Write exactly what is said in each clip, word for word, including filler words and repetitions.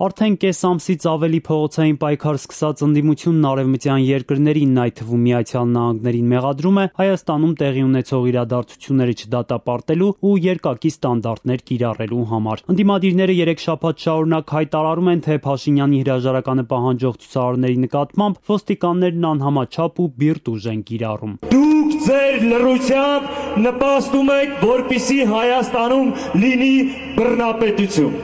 Արդեն կես ամսից ավելի փողոցային պայքար սկսած ընդդիմությունն արևմտյան երկրներին, այդ թվում Միացյալ Նահանգներին մեղադրում է Հայաստանում տեղի ունեցող իրադարձությունները չդատապարտելու ու երկակի ստանդարտներ կիրառելու համար։ Ընդդիմադիրները երեք շաբաթ շարունակ հայտարարում են, թե Փաշինյանի հրաժարականը պահանջող ցուցարարների նկատմամբ ոստիկաններն անհամաչափ ու բիրտ ուժ են կիրառում։ Դուք ձեր լռությամբ նպաստում եք, որպեսզի Հայաստանում լինի բռնապետություն։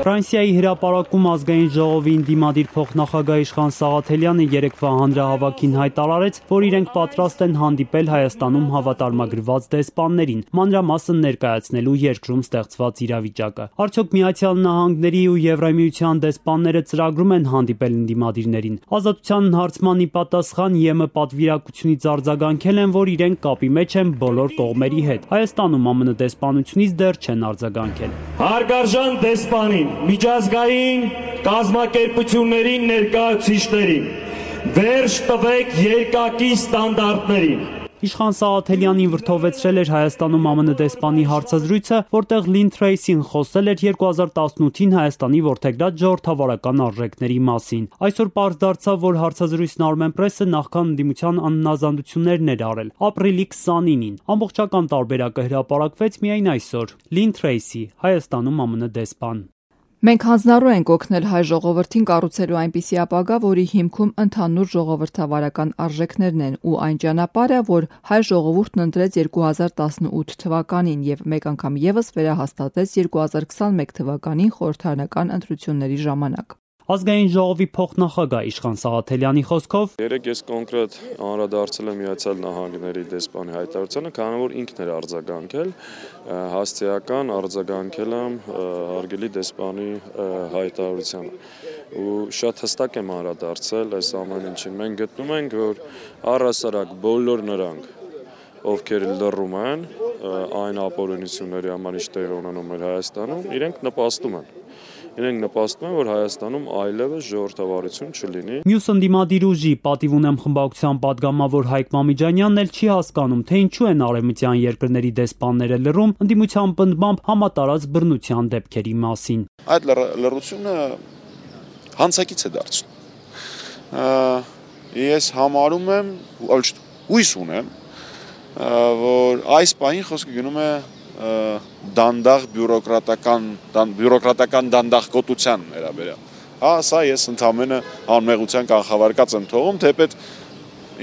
Ֆրանսիայի հրապարակում ազգային ժողովի ընդդիմադիր փոխնախագահ Իշխան Սաղաթելյանը երեկվա հանրահավաքին հայտարարեց, որ իրենք պատրաստ են հանդիպել Հայաստանում հավատարմագրված դեսպաններին, մանրամասն ներկայացնելու երկրում ստեղծված իրավիճակը։ Արդյոք Միացյալ Նահանգների ու Եվրամիության դեսպանները ծրագրում են հանդիպել ընդդիմադիրներին։ Ազատության հարցման ի պատասխան ԵՄ պատվիրակությունից արձագանքել են, որ իրենք կապի մեջ են բոլոր կողմերի հետ։ Հայաստանում ԱՄՆ դեսպանությունից դեռ չեն արձագանքել։ Հարգարժան դեսպանին, միջազգային կազմակերպություններին ներկայացուցիչներին, վերջ տվեք երկակի ստանդարտներին։ Իշխան Սաղաթելյանին վրդովեցրել էր Հայաստանում ԱՄՆ դեսպանի հարցազրույցը, որտեղ Լին Թրեյսին խոսել էր երկու հազար տասնութին Հայաստանի որդեգրած ժողովրդավարական արժեքների մասին։ Այսօր պարզ դարձավ, որ հարցազրույցն Armenpress-ը նախքան ընդդիմության անհնազանդություններն էր արել։ Ապրիլի քսանինին ամբողջական տարբերակը հրապարակվեց միայն այսօր։ Լին Թրեյսի, Հայաստանում ԱՄՆ դեսպան։ Մենք հանձնառու ենք օգնել հայ ժողովրդին կառուցելու այնպիսի ապագա, որի հիմքում ընդհանուր ժողովրդավարական արժեքներն են ու այն ճանապարհը, որ հայ ժողովուրդն ընտրեց երկու հազար տասնութ թվականին եւ մեկ անգամ եւս վերահաստատեց երկու հազար քսանմեկ թվականին խորհրդարանական ընտրությունների ժամանակ։ Ազգային ժողովի փոխնախագահ Իշխան Սաղաթելյանի խոսքով երեք ես կոնկրետ անդրադարձել եմ Միացյալ Նահանգների դեսպանի հայտարարությանը, քանի որ ինքն էր արձագանքել, հասցեական արձագանքել եմ հարգելի դեսպանի հայտարարությանը։ Ու շատ հստակ եմ անդրադարձել այս ամեն ինչին։ Մենք գտնում ենք, որ առհասարակ բոլոր նրանք, ովքեր լռում են այն ապօրինությունների համար, ինչ տեղի ունենում էր Հայաստանում, իրենք նպաստում են։ Իրենք նպաստում են, որ Հայաստանում այլևս ժողովրդավարություն չլինի։ Մյուս ընդդիմադիր ուժի պատիվ ունեմ խմբակցության падգամավոր Հայկ Մամիջանյանն էլ չի հասկանում, թե ինչու են արևմտյան երկրների դեսպանները լռում ընդդիմության պնդմամբ համատարած բռնության դեպքերի մասին։ Այդ լռությունը հանցակից է դարձնում։ Ես համարում եմ, հույս ունեմ, որ այս պահին խոսքը գնում է դանդաղ բյուրոկրատական բյուրոկրատական դանդաղկոտության վերաբերյալ։ Հա, սա ես ընդամենը անմեղության կանխավարկած եմ թողում, թեպետ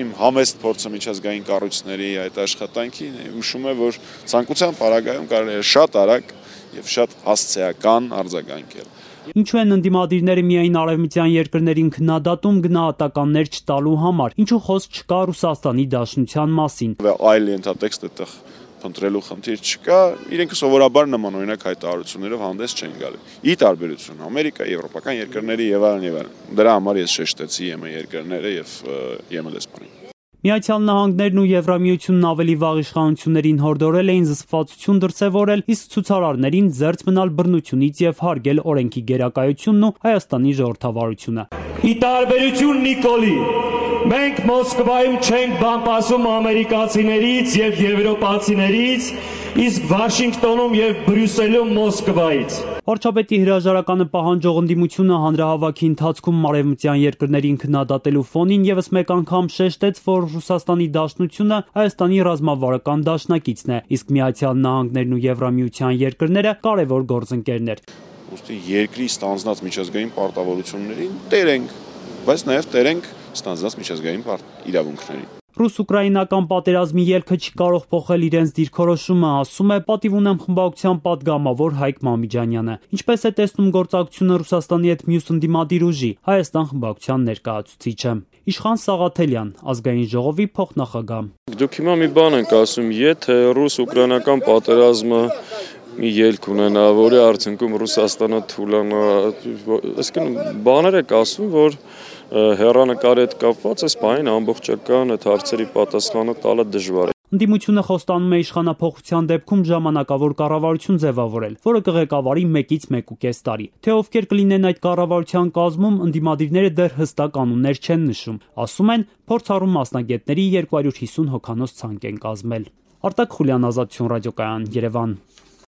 իմ համեստ փորձը միջազգային կառույցների այդ աշխատանքի հուշում է, որ ցանկության պարագայում կարելի է շատ արագ եւ շատ հասցեական արձագանքել։ Ինչու են ընդդիմադիրները միայն արևմտյան երկրներին քննադատում գնահատականներ չտալու համար, ինչու խոսք չկա Ռուսաստանի Դաշնության մասին։ Այլ ենթատեքստ այդտեղ փնտրելու խնդիր չկա, իրենք սովորաբար նմանօրինակ հայտարարություններով հանդես չեն գալու։ Ի տարբերություն Ամերիկա, եվրոպական երկրների եւ այլն եւ այլն։ Դրա համար ես շեշտեցի ԵՄ երկրները եւ ԵՄ դեսպանին։ Միացյալ Նահանգներն ու Եվրամիությունն ավելի վաղ իշխանություններին հորդորել էին զսպվածություն դրսևորել, իսկ ցուցարարներին զերծ մնալ բռնությունից եւ հարգել օրենքի գերակայությունն ու Հայաստանի ժողովրդավարությունը։ Ի տարբերություն Նիկոլի, մենք Մոսկվայում չենք բան ասում ամերիկացիներից եւ եվրոպացիներից, իսկ Վաշինգտոնում եւ Բրյուսելում Մոսկվայից։ Վարչապետի հրաժարականը պահանջող ընդդիմությունը հանրահավաքի ընթացքում արևմտյան երկրներին քննադատելու ֆոնին եւս մեկ անգամ շեշտեց, որ Ռուսաստանի Դաշնությունը Հայաստանի ռազմավարական դաշնակիցն է, իսկ Միացյալ Նահանգներն ու Եվրամիության երկրները կարևոր գործընկերներ։ Ուստի երկրի ստանձնած միջազգային պարտավորություններին տեր ենք, բայց նաեւ տեր ենք ստանձնած միջազգային իրավունքներին։ Ռուս-ուկրաինական պատերազմի ելքը չի կարող փոխել իրենց դիրքորոշումը, ասում է պատիվ ունեմ խմբակցության падգամավոր Հայկ Մամիջանյանը։ Ինչպես է տեսնում գործակցությունը Ռուսաստանի հետ մյուս ընդդիմադիր ուժի, Հայաստան խմբակցության ներկայացուցիչը։ Իշխան Սաղաթելյան, Ազգային ժողովի փոխնախագահ։ Դուք հիմա մի բան եք ասում, եթե ռուս-ուկրաինական պատերազմը մի ելք ունենա, որի արդյունքում Ռուսաստանը թուլանա, այսինքն բաներ եք ասում, որ հեռանկարի հետ կապված այս բանին ամբողջական այդ հարցերի պատասխանը տալը դժվար է։ Ընդդիմությունը խոստանում է իշխանափոխության դեպքում ժամանակավոր կառավարություն ձևավորել, որը կղեկավարի մեկից մեկուկես տարի։ Թե ովքեր կլինեն այդ կառավարության կազմում, ընդդիմադիրները դեռ հստակ կանոններ չեն նշում։ Ասում են, փորձառու մասնագետների երկու հարյուր հիսուն հոգանոց ցանկ են կազմել։ Արտակ Խուլյան, Ազատություն ռադիոկայան, Երևան։